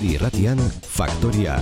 Euskadi Irratian Faktoria.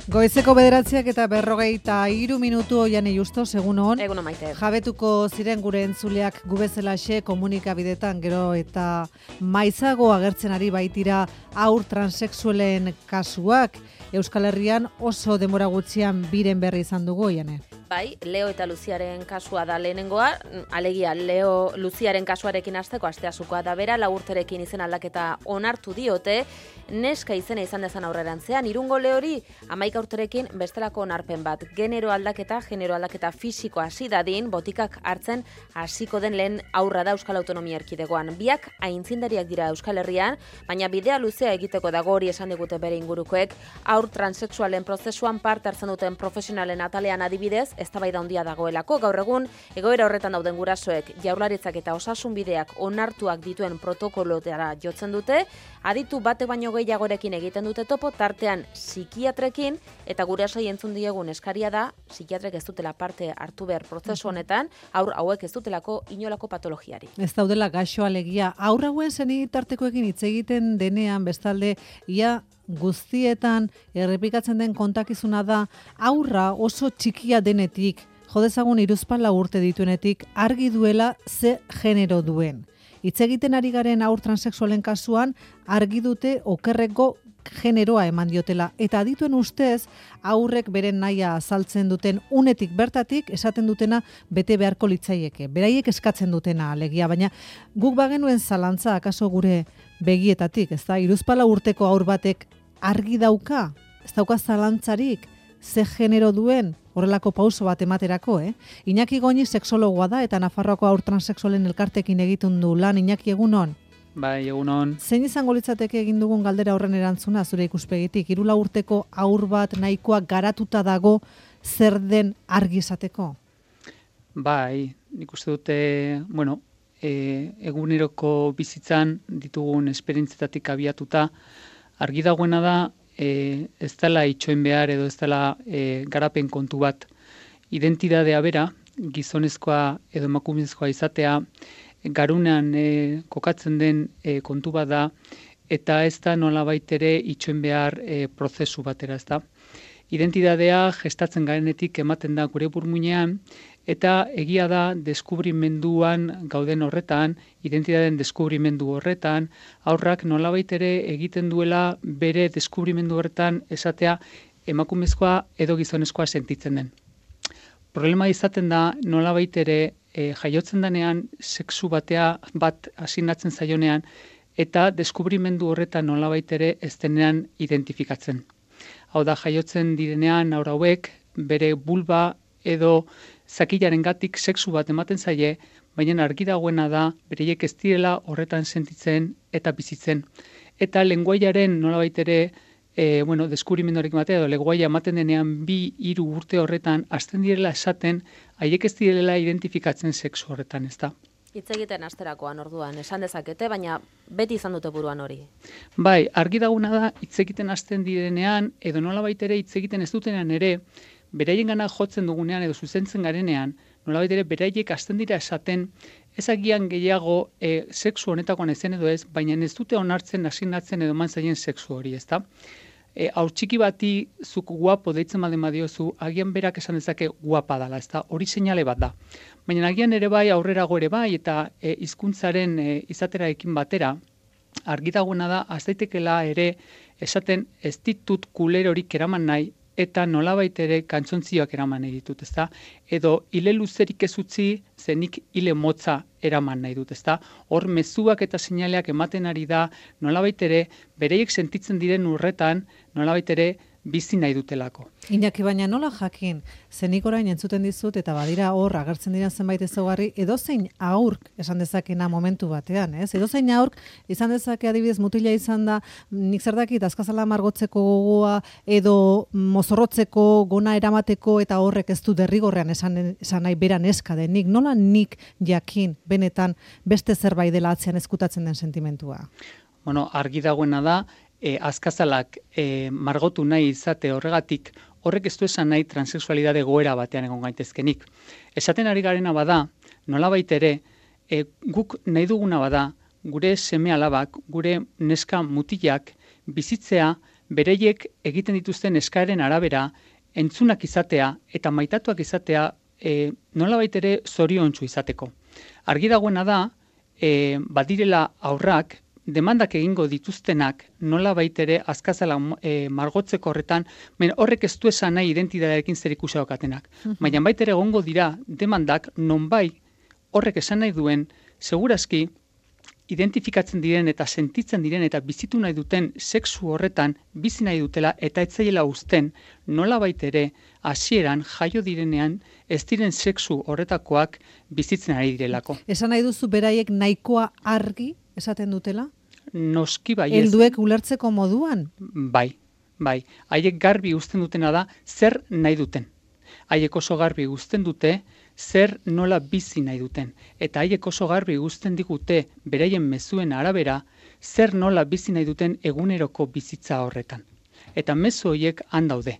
Goizeko 9:53 minutu Oiane Justo, egun on. Egun on, Maite. Jabetuko ziren gure entzuleak gubezelaxe komunikabidetan gero eta maizago agertzen ari baitira haur transexualen kasuak. Euskal Herrian oso denbora gutxian biren berri izan dugu, Oiane. Bai, Leo eta Luziaren kasua da lehenengoa, alegia Leo Luziaren kasuarekin hasteko asteasukoa da bera, 4 urterekin izen aldaketa onartu diote, neska izena izan dezan aurrerantzean, Irungo Leori 11 urterekin bestelako onarpen bat, genero aldaketa fisikoa hasi dadin, botikak hartzen hasiko den lehen aurra da Euskal Autonomia Erkidegoan. Biak aintzindariak dira Euskal Herrian, baina bidea luzea egiteko dago, hori esan digute bere ingurukoek, haur transexualen prozesuan parte hartzen duten profesionalen atalean adibidez, eztabaida handia dagoelako. Gaur egun egoera horretan dauden gurasoek Jaurlaritzak eta Osasun bideak onartuak dituen protokolotara jotzen dute, aditu bate baino gehiagorekin egiten dute topo, tartean psikiatrekin, eta gurasoi entzun diegun eskaria da psikiatrek ez dutela parte hartu behar prozesu honetan, haur hauek ez dutelako inolako patologiari. Ez daudela gaixo alegia, haur hauen senitartekoekin hitz egiten denean bestalde ia guztietan errepikatzen den kontakizuna da haurra oso txikia denetik, jodezagun hiruzpalau urte dituenetik argi duela ze genero duen. Hitz egiten ari garen haur transexualen kasuan argi dute okerreko generoa eman diotela, eta adituen ustez haurrek beren nahia azaltzen duten unetik bertatik esaten dutena bete beharko litzaieke. Beraiek eskatzen dutena alegia, baina guk bagenuen zalantza akaso gure begietatik, ez da, hiruzpalau urteko haur batek argi dauka, ez dauka zalantzarik, ze genero duen, horrelako pauso bat ematerako, Iñaki Goñi sexologoa da eta Nafarroako haur transexualen elkartekin egiten du lan. Iñaki, egunon? Bai, egunon. Zein izango litzateke egin dugun galdera horren erantzuna zure ikuspegitik? 14 urteko haur bat nahikoa garatuta dago zer den argi izateko? Bai, nik uste dute, eguneroko bizitzan ditugun esperientzetatik abiatuta, argi dagoena da, ez dela itxoin behar edo ez dela garapen kontu bat. Identidadea bera, gizonezkoa edo emakumezkoa izatea, garunean kokatzen den kontu bat da, eta ez da nolabait ere itxoin behar prozesu batera, ez da. Identidadea gestatzen garenetik ematen da gure burmuinean, eta egia da deskubrimenduan gauden horretan, identitateen deskubrimendu horretan, haurrak nolabait ere egiten duela bere deskubrimendu horretan esatea emakumezkoa edo gizonezkoa sentitzen den. Problema izaten da nolabait ere jaiotzen denean sexu bat asignatzen zaionean eta deskubrimendu horretan nolabait ere ez denean identifikatzen. Hau da, jaiotzen direnean haur hauek bere bulba edo zakilarengatik sexu bat ematen zaie, baina argi dagoena da bereiek ez direla horretan sentitzen eta bizitzen. Eta lenguaiaren nolabait ere deskubrimenduarekin batea edo lenguaia ematen denean 2-3 urte horretan hasten direla esaten haiek ez direla identifikatzen sexu horretan, ezta? Hitz egiten asterakoan orduan, esan dezakete, baina beti izan dute buruan hori. Bai, argi dagoena da hitz egiten hasten direnean edo nolabait ere hitz egiten ez dutenean ere, beraiengana jotzen dugunean edo zuzentzen garenean, nolabait ere beraiek hasten dira esaten, ezagian gehiago sexu honetakoan ezen edo ez, baina ez dute onartzen asignatzen edo eman zaien sexu hori, ezta? Haur txiki bati zuk guapo deitzen baldin badiozu, agian berak esan dezake guapa dela, ezta? Hori seinale bat da. Baina agian ere bai, aurrerago ere bai, eta hizkuntzaren izaterarekin batera, argi dagoena da, az daitekela ere esaten ez ditut kulerorik eraman nahi, eta nolabait ere kantzontzioak eraman nahi ditut, ezta? Edo hile luzerik ez utzi, zenik hile motza eraman nahi dut, ezta? Hor mezuak eta seinaleak ematen ari da, nolabait ere bereiek sentitzen diren urretan, nolabait ere bizi nahi dutelako. Iñaki, baina nola jakin, zenik orain entzuten dizut eta badira hor agertzen dira zenbait ezaugarri, edozein aurk esan dezakena momentu batean, ez? Edozein aurk izan dezake adibidez mutila izan da, nik zer dakit azkazala margotzeko gogoa edo mozorrotzeko gona eramateko eta horrek ez du derrigorrean esan nahi beran eska denik. Nola nik jakin benetan beste zerbait dela atzean ezkutatzen den sentimentua? Argi dagoena da, azkazalak margotu nahi izate horregatik, horrek ez du esan nahi transexualidade goera batean egon gaitezkenik. Esaten ari garena bada, nolabait ere, guk nahi duguna bada, gure seme alabak, gure neska mutilak, bizitzea bereiek egiten dituzten eskaeren arabera, entzunak izatea eta maitatuak izatea nolabait ere zoriontsu izateko. Argi dagoena da, badirela aurrak, demandak egingo dituztenak nolabait ere azkazala margotzeko horretan, horrek ez du esan nahi identitatearekin zerikusia daukatenak. Baina baitere egongo dira demandak nonbai horrek esan nahi duen, segurazki identifikatzen diren eta sentitzen diren eta bizitu nahi duten sexu horretan bizi nahi dutela eta ez zaiela uzten nolabait ere hasieran jaio direnean ez diren sexu horretakoak bizitzen ari direlako. Esan nahi duzu beraiek nahikoa argi esaten dutela? Noski bai. Helduek ulertzeko moduan? Bai. Haiek garbi uzten dutena da zer nahi duten. Haiek oso garbi uzten dute zer nola bizi nahi duten. Eta haiek oso garbi uzten digute beraien mezuen arabera zer nola bizi nahi duten eguneroko bizitza horretan. Eta mezu horiek han daude.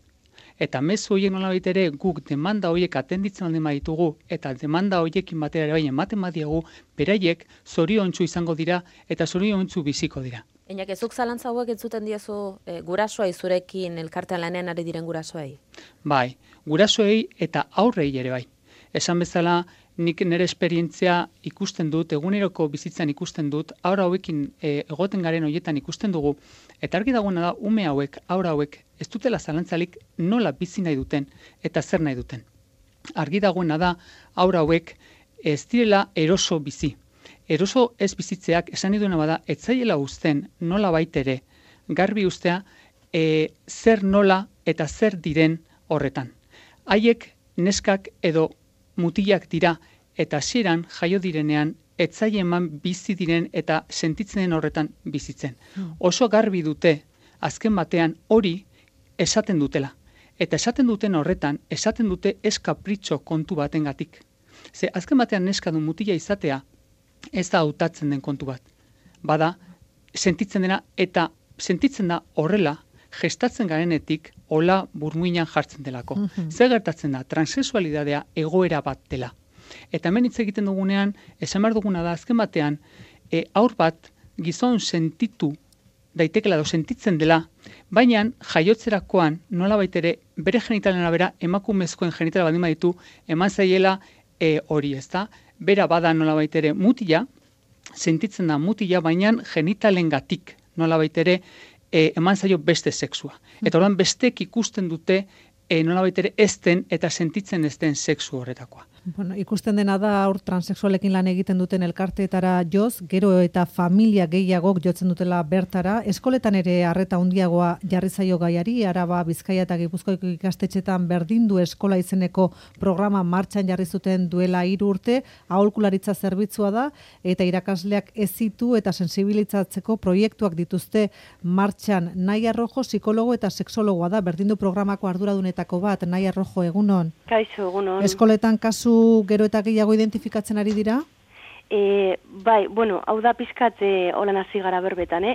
Eta mezu horiek nolabait ere guk demanda horiek atenditzen alden baditugu eta demanda horiekin batera ere bai ematen badiegu, beraiek zoriontsu izango dira eta zoriontsu biziko dira. Einak, ezuk zalantza hauek entzuten diezu gurasoei zurekin elkartean lanean ari diren gurasoei? Bai, gurasoei eta aurrei ere bai. Esan bezala, nik nire esperientzia ikusten dut, eguneroko bizitzan ikusten dut, aurra hauekin egoten garen horietan ikusten dugu, eta argi dagoena da, ume hauek, aurra hauek, ez dutela zalantzalik nola bizi nahi duten eta zer nahi duten. Argi dagoena da, aurra hauek ez direla eroso bizi. Eroso ez bizitzeak esan nahi duena bada, ez zaiela uzten nola baitere, garbi ustea, zer nola eta zer diren horretan. Haiek neskak edo mutilak dira eta hasieran jaio direnean ez zaie eman bizi diren eta sentitzen den horretan bizitzen. Oso garbi dute azken batean hori esaten dutela. Eta esaten duten horretan, esaten dute ez kapritxo kontu batengatik. Ze azken batean neska du mutila izatea ez da hautatzen den kontu bat. Bada, sentitzen dena eta sentitzen da horrela gestatzen garenetik hola burmuinan jartzen delako. Zer gertatzen da? Transexualidadea egoera bat dela. Eta hemen hitz egiten dugunean, esan behar duguna da, azken batean, haur bat gizon sentitu daitekela edo sentitzen dela, baina jaiotzerakoan nolabait ere bere genitalen arabera emakumezkoen genitala baldin baditu eman zaiela hori, ezta? Bera bada nolabait ere mutila, sentitzen da mutila, baina genitalengatik nolabait ere eman zaio beste sexua. Eta orduan bestek ikusten dute nolabait ere ez den eta sentitzen ez den sexu horretakoa. Bueno, ikusten dena da aur transexualekin lan egiten duten elkarteetara joz, gero eta familia gehiagok jotzen dutela bertara. Eskoletan ere arreta handiagoa jarri zaio gaiari, Araba, Bizkaia eta Gipuzkoako ikastetxetan berdindu eskola izeneko programa martxan jarri zuten duela 3 urte, aholkularitza zerbitzua da eta irakasleak hezitu eta sensibilizatzeko proiektuak dituzte martxan. Naia Rojo psikologo eta sexologoa da, berdindu programako arduradunetako bat. Naia Rojo, egunon. Kaixo, egunon. Eskoletan kasu gero eta gehiago identifikatzen ari dira? Bai, bueno, hau da pizkat holan hasi gara berbetan,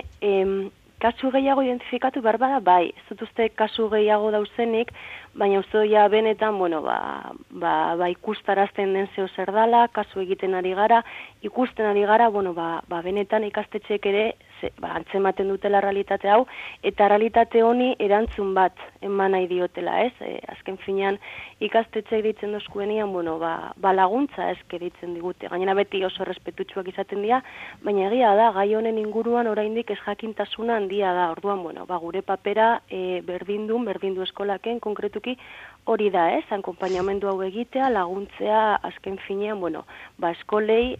kasu gehiago identifikatu behar bada, bai, ez dut uste kasu gehiago dauzenik, baina uste doia benetan, bueno, ba ikustarazten den zeo zer dala, kasu egiten ari gara, ikusten ari gara, bueno, ba benetan ikastetxeek ere antzematen dutela realitate hau, eta realitate honi erantzun bat eman nahi diotela, ez? Azken finean ikastetxeek ditzen dozkuenian, bueno, ba laguntza eske ditzen digute. Gainera beti oso respetutsuak izaten dira, baina egia da, gai honen inguruan oraindik ez jakintasuna handia da. Orduan, bueno, ba gure papera berdindu eskolaken konkretuki hori da, ez? Akonpainamendu hau egitea, laguntzea azken finean, bueno, ba eskolei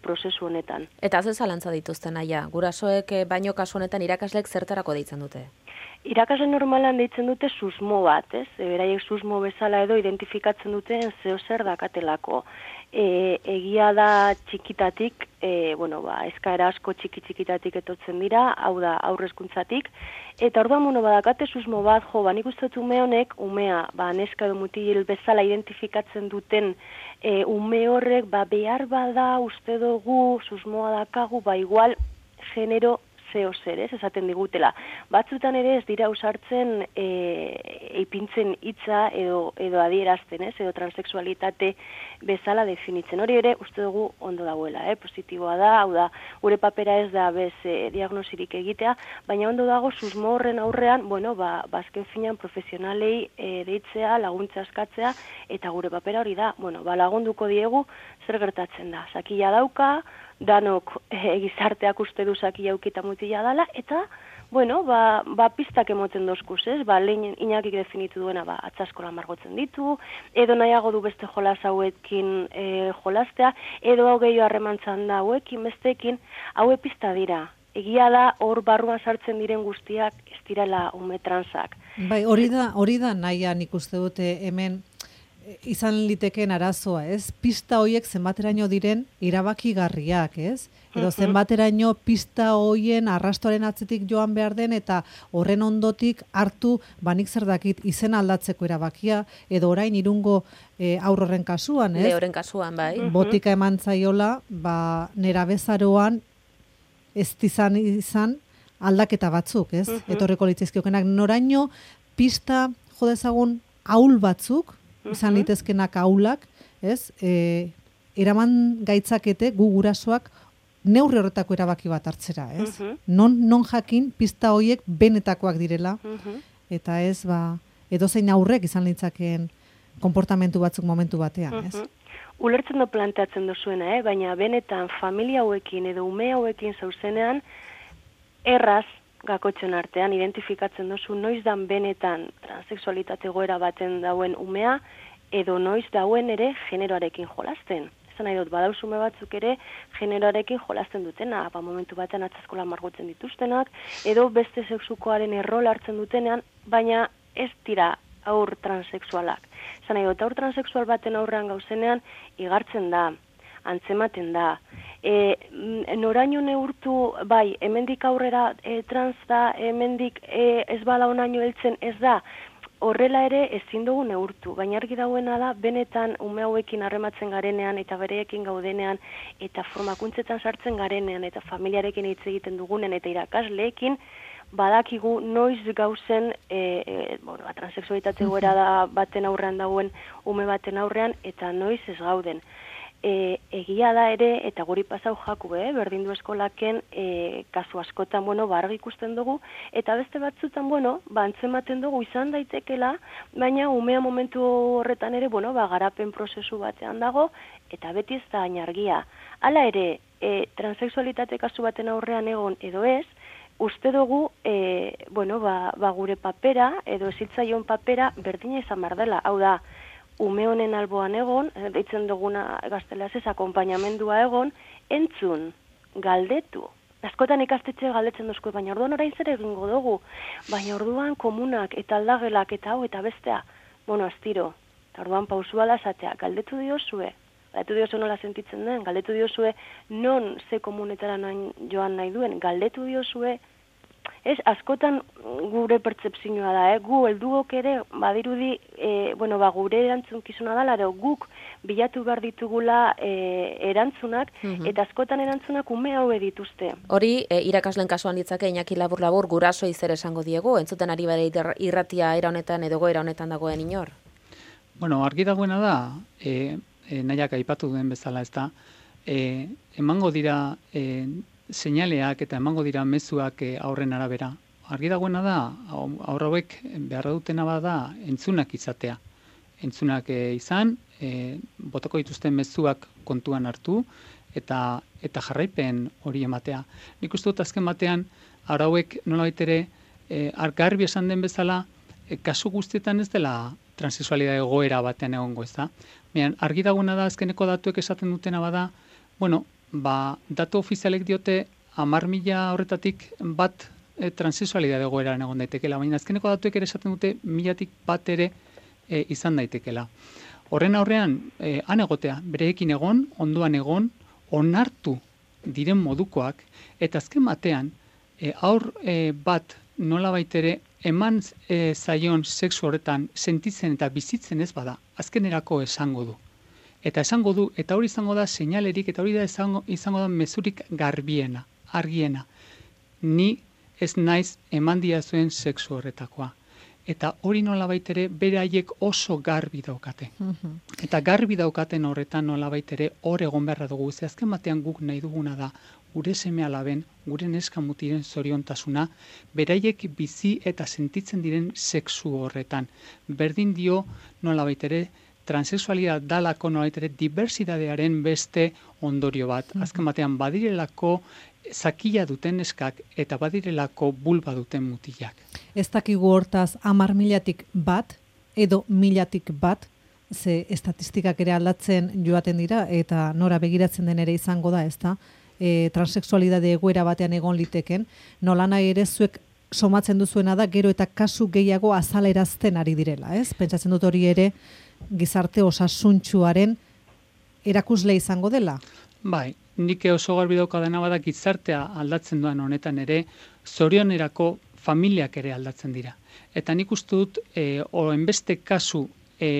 prozesu honetan. Eta ze zalantza dituzten Naia, gurasoek baino kasu honetan irakasleek zertarako deitzen dute? Irakasle normalan deitzen dute susmo bat, ez? Beraiek susmo bezala edo identifikatzen duten zeo zer dakatelako. Egia da txikitatik, bueno, ba eskaera asko txikitatik etortzen dira, hau da aurrezkuntzatik, eta orduan bueno, badakate susmo bat, nik uste dut ume honek, umea, neska edo mutil bezala identifikatzen duten ume horrek, behar bada uste dugu susmoa dakagu, igual genero zeo zer, ez, esaten digutela. Batzutan ere ez dira usartzen eipintzen hitza edo adierazten, ez, edo transexualitate bezala definitzen. Hori ere, uste dugu ondo dagoela, positiboa da, hau da, gure papera ez da bez diagnosirik egitea, baina ondo dago susmo horren aurrean, bueno, azken finean profesionalei deitzea, laguntza eskatzea, eta gure papera hori da, bueno, lagunduko diegu zer gertatzen da. Sakia dauka, danok gizarteak uste du sakia aukita mutila dala, eta, bueno, pistak emoten dozkuz, ez? Lehen Iñakik definitu duena, atzaskola margotzen ditu, edo nahiago du beste jolas hauekin jolastea, edo hau gehiago harremantzan da hauekin, besteekin, haue pista dira. Egia da, hor barruan sartzen diren guztiak ez direla ume transak. Bai, hori da nahia nik uste dute hemen izan liteken arazoa, ez? Pista hoiek zenbateraino diren erabakigarriak, ez? Edo zenbateraino pista hoien arrastoaren atzetik joan behar den eta horren ondotik hartu nik zer dakit izen aldatzeko erabakia, edo orain Irungo haurren kasuan, ez? Leoren kasuan, bai. Botika eman zaiola, nerabezaroan ez izan aldaketa batzuk, ez? Etorriko litzaizkiokenak noraino pista jo dezagun ahul batzuk, izan litezkenak ahulak, ez? Eraman gaitzakete gu gurasoak neurri horretako erabaki bat hartzera, ez? Non jakin pista hoiek benetakoak direla, eta ez, edozein aurrek izan litzakeen konportamentu batzuk momentu batean, ez? Ulertzen du planteatzen duzuena, baina benetan familia hauekin edo ume hauekin zauzenean, erraz gakotzen artean identifikatzen duzu noiz dan benetan transexualitate goera baten dauen umea, edo noiz dauen ere generoarekin jolasten. Esan nahi dut, badauzume batzuk ere generoarekin jolasten dutena, momentu batean atzaskola margotzen dituztenak, edo beste sexukoaren errol hartzen dutenean, baina ez dira aur transexualak. Esan nahi dut, aur transexual baten aurrean gauzenean igartzen da, antzematen da. Noraino neurtu, hemendik aurrera trans da, hemendik ez bala onaino heltzen ez da, horrela ere ezin dugu neurtu, baina argi dagoena da, benetan ume hauekin harrematzen garenean eta bereekin gaudenean eta formakuntzetan sartzen garenean eta familiarekin hitz egiten dugunen eta irakasleekin, badakigu noiz gauzen transexualitate goera baten aurrean dagoen ume baten aurrean eta noiz ez gauden. Egia da ere, eta guri pasau jaku, berdindu eskolaken kasu askotan, argi ikusten dugu, eta beste batzutan, antzematen dugu izan daitekela, baina umea momentu horretan ere, garapen prozesu batean dago, eta beti ez da ainargia. Hala ere, transexualitate kasu baten aurrean egon edo ez, uste dugu, gure papera, edo ezitzaion papera, berdina izan behar dela, hau da, ume honen alboan egon, deitzen duguna gaztelaz ez, akompainamendua egon, entzun, galdetu. Askotan ikastetxe galdetzen duzko, baina orduan orain zer egingo dugu, baina orduan komunak eta aldagelak eta hau eta bestea, astiro, eta orduan pausua da esatea, galdetu diozue nola sentitzen den, galdetu diozue non ze komunetara joan nahi duen, galdetu diozue, ez, askotan gure pertzepzioa da, gu helduok ere, badirudi, gure erantzunkizuna dela, guk bilatu behar ditugula erantzunak, eta askotan erantzunak ume hau dituzte. Hori, irakasleen kasuan ditzake, Iñaki labur-labur, gurasoei zer esango diegu, entzuten ari bere irratia era honetan edo goera honetan dagoen inor? Argi dagoena da, nahiak aipatu duen bezala, ez da, emango dira seinaleak eta emango dira mezuak aurren arabera. Argi dagoena da, aurra hauek beharra dutena bada entzunak izatea. Entzunak izan, botako dituzten mezuak kontuan hartu eta jarraipen hori ematea. Nik uste dut azken batean, aurra hauek nolabait ere, garbi esan den bezala, kasu guztietan ez dela transexualidade egoera batean egongo, ez da. Argi dagoena da, azkeneko datuek esaten dutena bada, datu ofizialek diote 10.000 horretatik bat transexualidade egoeran egon daitekela, baina azkeneko datuek ere esaten dute 1.000-tik bat ere izan daitekela. Horren aurrean, han egotea, bereekin egon, ondoan egon, onartu diren modukoak, eta azken batean, aur bat nola baitere eman zaion sexu horretan sentitzen eta bizitzen ez bada, azkenerako esango du. Eta esango du, eta hori izango da seinalerik, eta hori da izango da mezurik garbiena, argiena. ni ez naiz eman diazuen sexu horretakoa. Eta hori nolabait ere beraiek oso garbi daukate. Eta garbi daukaten horretan nolabait ere hor egon beharra dugu. Ze azken batean guk nahi duguna da gure seme-alaben, gure neska mutiren zoriontasuna, beraiek bizi eta sentitzen diren sexu horretan. Berdin dio nolabait ere transexualidad dalako nolabait ere diversitatearen beste ondorio bat. Azken batean badirelako zakila duten neskak eta badirelako bulba duten mutilak. Ez dakigu hortaz 10.000-tik bat edo 1.000-tik bat, ze estatistikak ere aldatzen joaten dira eta nora begiratzen den ere izango da, ezta? Transexualidade egoera batean egon liteken, nolanahi ere zuek somatzen duzuena da gero eta kasu gehiago azalerazten ari direla, ez? Pentsatzen dut hori ere gizarte osasuntsuaren erakusle izango dela. Bai, nik oso garbi daukadana bada gizartea aldatzen doan honetan ere, zorionerako familiak ere aldatzen dira. Eta nik uste dut, enbeste kasu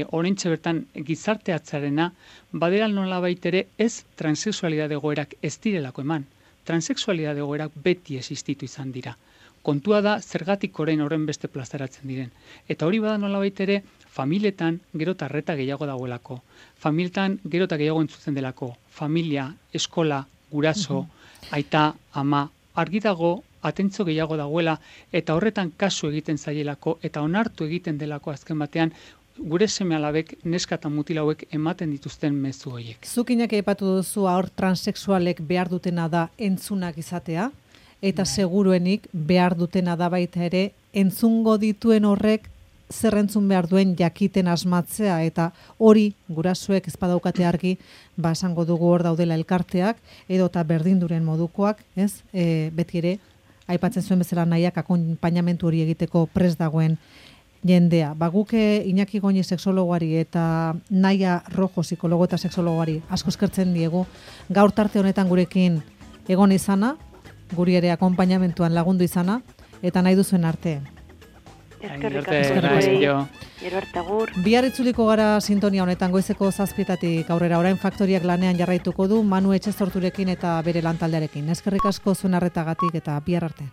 oraintxe bertan gizarteatzarena, badera nolabait ere ez transexualidade egoerak ez direlako eman. Transexualidade egoerak beti existitu izan dira. Kontua da zergatik orain horren beste plazaratzen diren. Eta hori bada nolabait ere familietan gero eta arreta gehiago dagoelako. Familietan gero eta gehiago entzutzen delako. Familia, eskola, guraso, aita, ama, argi dago atentzio gehiago dagoela eta horretan kasu egiten zaielako eta onartu egiten delako azken batean gure seme-alabek, neska eta mutil hauek ematen dituzten mezu horiek. Zukinak aipatu duzu haur transexualek behar dutena da entzunak izatea, eta seguruenik behar dutena da baita ere entzungo dituen horrek zer entzun behar duen jakiten asmatzea, eta hori gurasoek ez badaukate argi, esango dugu hor daudela elkarteak, edo eta berdinduren modukoak, ez? Beti ere, aipatzen zuen bezala nahiak akonpainamentu hori egiteko prest dagoen jendea. Guke Iñaki Goñi sexologoari eta Naia Rojo psikologo eta sexologoari asko eskertzen diegu gaur tarte honetan gurekin egon izana, guri ere akonpainamentuan lagundu izana, eta nahi duzuen arte. Eskerrik asko. Gero arte agur. Bihar itzuliko gara sintonia honetan goizeko 7:00 aurrera. Orain Faktoriak lanean jarraituko du Manu Etxezorturekin eta bere lantaldearekin. Eskerrik asko zuen arretagatik eta bihar arte.